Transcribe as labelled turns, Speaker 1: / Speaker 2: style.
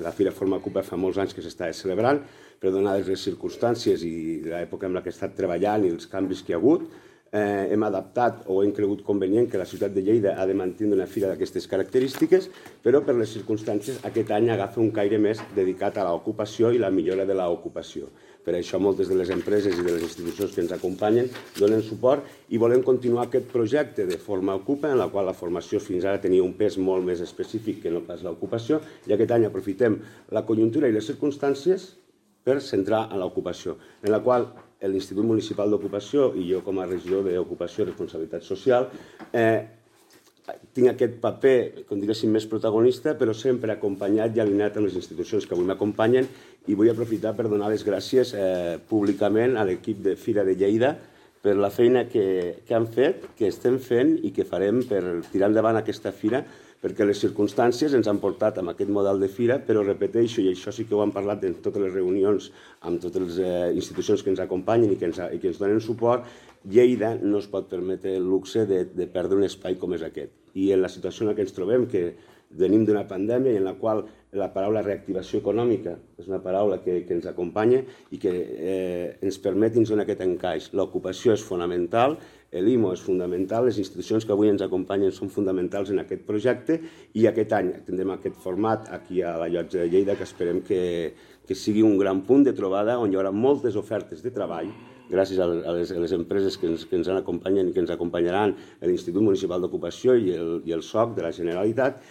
Speaker 1: La Fira Forma Ocupa fa molts anys que s'està celebrant, però donades les circumstàncies i l'època en la que he estat treballant i els canvis que hi ha hagut, hem adaptat o hem cregut convenient que la ciutat de Lleida ha de mantenir una fira d'aquestes característiques, però per les circumstàncies aquest any agafa un caire més dedicat a l'ocupació i la millora de l'ocupació. Per això moltes de les empreses i de les institucions que ens acompanyen donen suport i volem continuar aquest projecte de Forma Ocupa, en la qual la formació fins ara tenia un pes molt més específic que no pas l'ocupació, i aquest any aprofitem la conjuntura i les circumstàncies per centrar en l'ocupació, en la qual l'Institut Municipal d'Ocupació i jo com a regidor d'Ocupació i Responsabilitat Social tinc aquest paper, com diguéssim, més protagonista, però sempre acompanyat i alineat amb les institucions que avui m'acompanyen, i vull aprofitar per donar les gràcies públicament a l'equip de Fira de Lleida per la feina que han fet, que estem fent i que farem per tirar endavant aquesta fira, perquè les circumstàncies ens han portat amb aquest model de fira, però repeteixo, i això sí que ho hem parlat en totes les reunions amb totes les institucions que ens acompanyen i que ens donen suport, Lleida no es pot permetre el luxe de perdre un espai com és aquest. I en la situació en la que ens trobem, que venim d'una pandèmia i en la qual la paraula reactivació econòmica és una paraula que ens acompanya i que ens permet dins aquest encaix. L'ocupació és fonamental, l'IMO és fonamental, les institucions que avui ens acompanyen són fonamentals en aquest projecte i aquest any tindrem aquest format aquí a la Llotja de Lleida que esperem que sigui un gran punt de trobada on hi haurà moltes ofertes de treball gràcies a les empreses que ens acompanyen i que ens acompanyaran l'Institut Municipal d'Ocupació i el SOC de la Generalitat